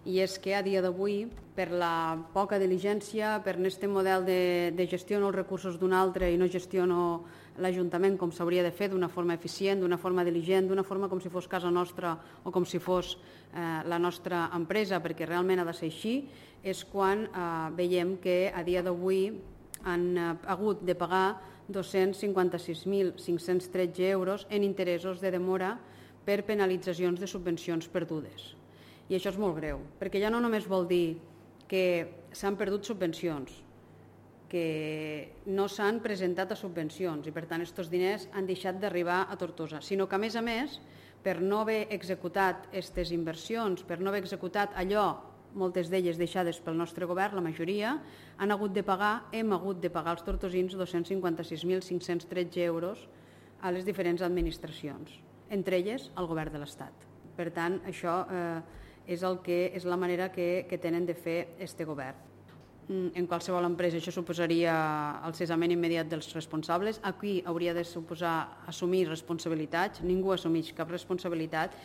i és que a dia d'avui, per la poca diligència, per aquest model de gestiono els recursos d'un altre i no gestiono l'Ajuntament com s'hauria de fer, d'una forma eficient, d'una forma diligent, d'una forma com si fos casa nostra o com si fos la nostra empresa, perquè realment ha de ser així, és quan veiem que a dia d'avui han hagut de pagar 256.513 euros en interessos de demora per penalitzacions de subvencions perdudes. I això és molt greu, perquè ja no només vol dir que s'han perdut subvencions, que no s'han presentat a subvencions i per tant aquests diners han deixat d'arribar a Tortosa, sinó que a més, per no haver executat aquestes inversions, per no haver executat allò, moltes d'elles deixades pel nostre govern, la majoria, hem hagut de pagar als tortosins 256.513 euros a les diferents administracions, entre elles al govern de l'Estat. Per tant, això és la manera que tenen de fer este govern. En qualsevol empresa això suposaria el cessament immediat dels responsables. Aquí hauria de suposar assumir responsabilitats. Ningú assumeix cap responsabilitat